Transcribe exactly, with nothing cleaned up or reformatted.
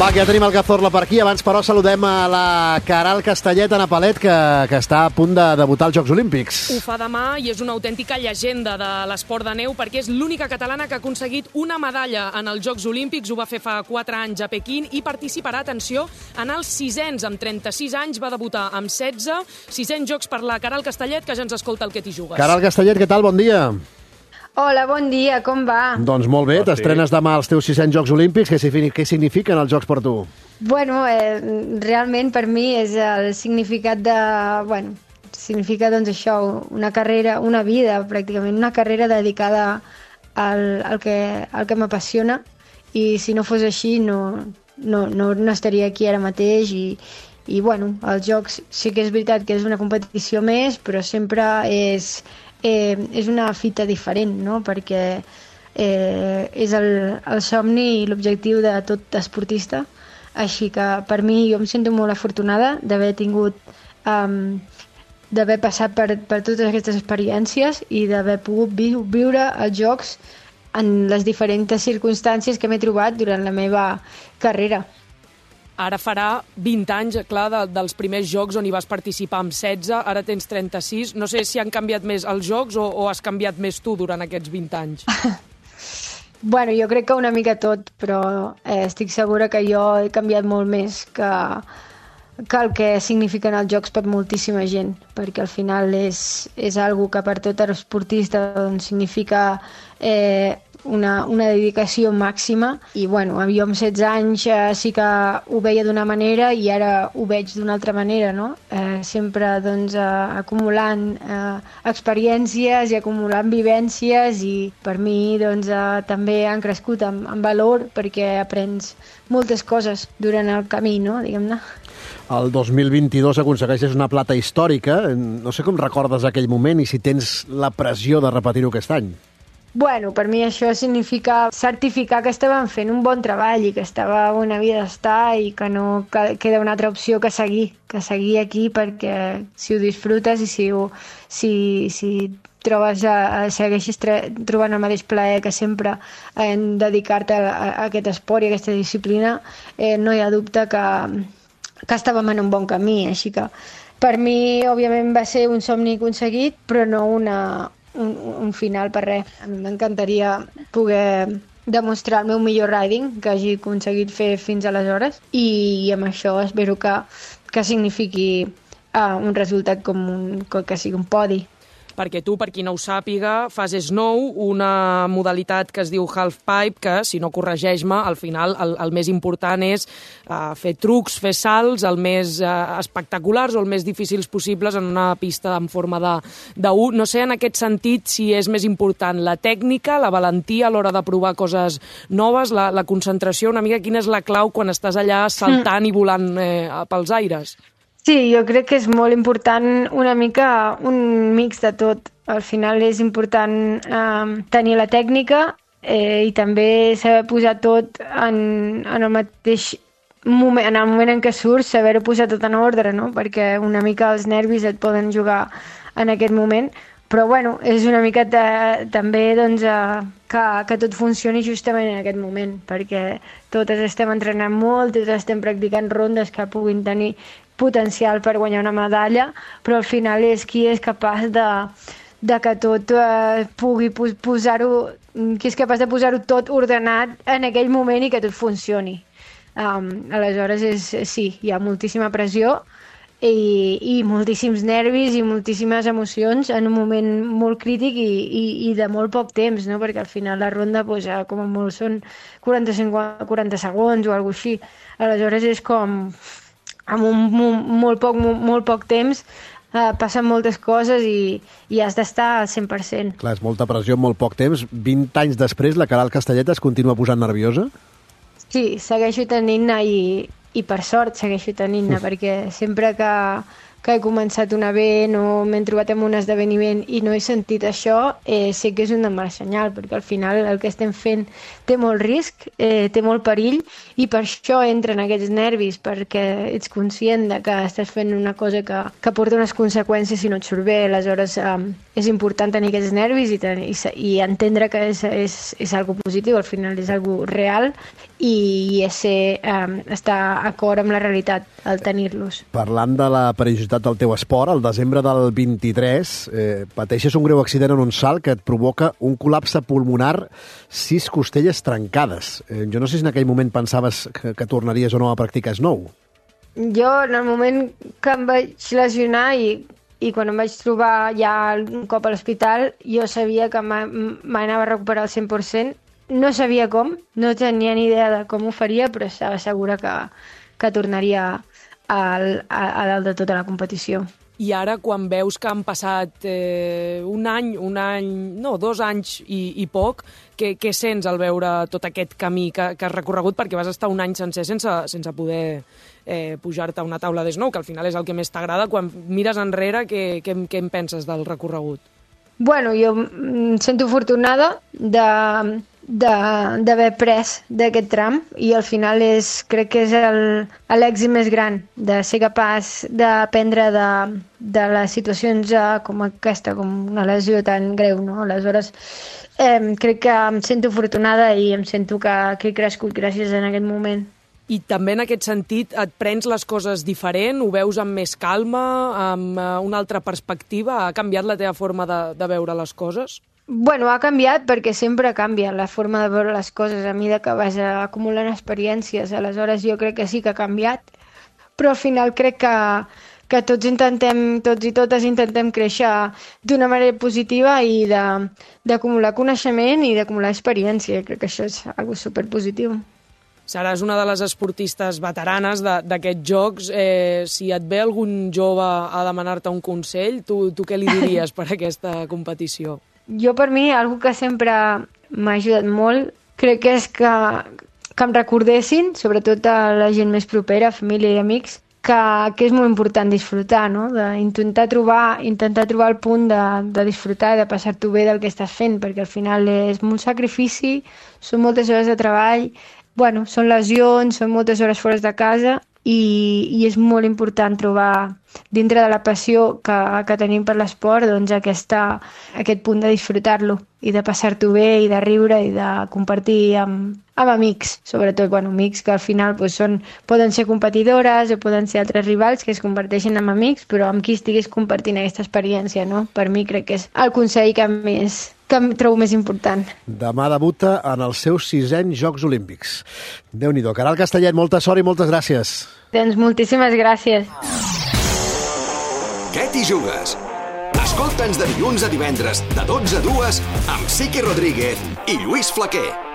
Va, que ja tenim el Cazorla per aquí. Abans, però, saludem a la Queralt Castellet, Ana Palet, que, que està a punt de debutar als Jocs Olímpics. Ho fa demà i és una autèntica llegenda de l'esport de neu perquè és l'única catalana que ha aconseguit una medalla en els Jocs Olímpics. Ho va fer fa quatre anys a Pequín i participarà, atenció, en els sisens. Amb trenta-sis anys va debutar amb setze. Sisens Jocs per la Queralt Castellet, que ja ens escolta el que t'hi jugues. Queralt Castellet, què tal? Bon dia. Hola, bon dia, com va? Doncs molt bé, t'estrenes demà als teus sisens Jocs Olímpics. Què, què signifiquen els Jocs per tu? Bueno, eh, realment per mi és el significat de... Bueno, significa doncs això, una carrera, una vida pràcticament, una carrera dedicada al, al que, al que m'apassiona, i si no fos així no, no, no, no estaria aquí ara mateix. I, i bueno, els Jocs sí que és veritat que és una competició més, però sempre és... Eh, és una fita diferent, no? Perquè eh, és el, el somni i l'objectiu de tot esportista, així que per mi jo em sento molt afortunada d'haver tingut um, d'haver passat per, per totes aquestes experiències i d'haver pogut vi viure els Jocs en les diferents circumstàncies que m'he trobat durant la meva carrera. Ara farà vint anys, clar, de, dels primers Jocs on hi vas participar amb setze, ara tens trenta-sis. No sé si han canviat més els Jocs o, o has canviat més tu durant aquests vint anys. Bueno, jo crec que una mica tot, però eh, estic segura que jo he canviat molt més que, que el que signifiquen els Jocs per moltíssima gent, perquè al final és, és algo que per tot esportista doncs, significa eh, una, una dedicació màxima. I bueno, jo amb setze anys eh, sí que ho veia d'una manera i ara ho veig d'una altra manera, no? Eh, sempre doncs, eh, acumulant eh, experiències i acumulant vivències, i per mi doncs, eh, també han crescut en, en valor perquè aprens moltes coses durant el camí, no? Diguem-ne. El dos mil vint-i-dos aconsegueixes una plata històrica. No sé com recordes aquell moment i si tens la pressió de repetir-ho aquest any. Bueno, per mi això significa certificar que estàvem fent un bon treball i que estava una vida d'estar i que no queda una altra opció que seguir, que seguir aquí, perquè si ho disfrutes i si, ho, si, si trobes, a, segueixes trobant el mateix plaer que sempre en dedicar-te a, a aquest esport i a aquesta disciplina, eh, no hi ha dubte que, que estàvem en un bon camí. Així que per mi, òbviament, va ser un somni aconseguit, però no una... Un, un final per res. A mi m'encantaria poder demostrar el meu millor riding que hagi aconseguit fer fins aleshores, i amb això espero que, que signifiqui uh, un resultat com un, que sigui un podi. Perquè tu, per qui no ho sàpiga, fas snow, una modalitat que es diu halfpipe, que, si no corregeix-me, al final el, el més important és uh, fer trucs, fer salts, el més uh, espectaculars o el més difícils possibles en una pista en forma de, de U. No sé, en aquest sentit, si és més important la tècnica, la valentia a l'hora de provar coses noves, la, la concentració, una mica quina és la clau quan estàs allà saltant mm. i volant eh, pels aires? Sí, jo crec que és molt important una mica un mix de tot. Al final és important eh, tenir la tècnica eh, i també saber posar tot en, en el mateix moment, en el moment en què surts, saber-ho posar tot en ordre, no? Perquè una mica els nervis et poden jugar en aquest moment. Però bueno, és una mica de, també doncs, eh, que, que tot funcioni justament en aquest moment, perquè totes estem entrenant molt, totes estem practicant rondes que puguin tenir potencial per guanyar una medalla, però al final és qui és capaç de, de que tot eh, pugui posar-ho, qui és capaç de posar-ho tot ordenat en aquell moment i que tot funcioni. Um, aleshores, és, sí, hi ha moltíssima pressió i, i moltíssims nervis i moltíssimes emocions en un moment molt crític i, i, i de molt poc temps, no? Perquè al final la ronda pues, com a molt són quaranta, quaranta segons o alguna cosa així. Aleshores és com... amb un, un, molt, poc, molt poc temps eh, passen moltes coses i, i has d'estar al cent per cent. Clar, és molta pressió en molt poc temps. vint anys després, la Queralt Castellet es continua posant nerviosa? Sí, segueixo tenint-ne i, i per sort segueixo tenint-ne, perquè sempre que, que he començat un event o m'he trobat en un esdeveniment i no he sentit això, eh, sé que és una mala senyal, perquè al final el que estem fent té molt risc, eh, té molt perill, i per això entren aquests nervis, perquè ets conscient de que estàs fent una cosa que, que porta unes conseqüències si no et surt bé. Aleshores eh, és important tenir aquests nervis i, tenir, i, i entendre que és, és, és algo positiu, al final és algo real, i és ser, eh, estar d'acord amb la realitat al tenir-los. Parlant de la perillositat del teu esport, al desembre del vint-i-tres eh, pateixes un greu accident en un salt que et provoca un col·lapse pulmonar, sis costelles trencades. Eh, jo no sé si en aquell moment pensaves que, que tornaries o no a practicar snow. Jo, en el moment que em vaig lesionar i, i quan em vaig trobar ja un cop a l'hospital, jo sabia que m'anava a recuperar al cent per cent. No sabia com, no tenia ni idea de com ho faria, però estava segura que, que tornaria al, a, a dalt de tota la competició. I ara, quan veus que han passat eh, un any, un any, no, dos anys i, i poc, què, què sents al veure tot aquest camí que, que has recorregut? Perquè vas estar un any sencer sense, sense poder eh, pujar-te a una taula d'snow, que al final és el que més t'agrada. Quan mires enrere, què, què, què en penses del recorregut? Bueno, jo em sento afortunada de d'haver pres d'aquest tram, i al final és, crec que és l'èxit més gran, de ser capaç d'aprendre de, de les situacions com aquesta, com una lesió tan greu, no? Aleshores, eh, crec que em sento afortunada i em sento que, que he crescut gràcies a aquest moment. I també en aquest sentit et prens les coses diferent, ho veus amb més calma, amb una altra perspectiva? Ha canviat la teva forma de, de veure les coses? Bueno, ha canviat perquè sempre canvia la forma de veure les coses a mesura que vas acumulant experiències. Aleshores jo crec que sí que ha canviat, però al final crec que, que tots intentem, tots i totes intentem créixer d'una manera positiva i d'acumular coneixement i d'acumular experiència. Crec que això és algo superpositiu. Seràs una de les esportistes veteranes d'aquests jocs. Eh, si et ve algun jove a demanar-te un consell, tu, tu què li diries per aquesta competició? Jo, per mi, algo que sempre m'ha ajudat molt, crec que és que, que em recordessin, sobretot a la gent més propera, família i amics, que, que és molt important disfrutar, no? D'intentar trobar, intentar trobar el punt de, de disfrutar i de passar-t'ho bé del que estàs fent, perquè al final és molt sacrifici, són moltes hores de treball, bueno, són lesions, són moltes hores fora de casa, i, i és molt important trobar dintre de la passió que, que tenim per l'esport, doncs aquesta, aquest punt de disfrutar-lo i de passar-t'ho bé i de riure i de compartir amb, amb amics, sobretot, bueno, amics que al final doncs, són, poden ser competidores o poden ser altres rivals que es converteixen en amics, però amb qui estiguis compartint aquesta experiència, no? Per mi crec que és el consell que més que em trobo més important. Demà debuta en els seus sisens Jocs Olímpics. Déu-n'hi-do. Caral Castellet, molta sort i moltes gràcies. Doncs moltíssimes gràcies. Què t'hi jugues? Escolta'ns de dilluns a divendres, de dotze a dues, amb Sique Rodríguez i Lluís Flaquer.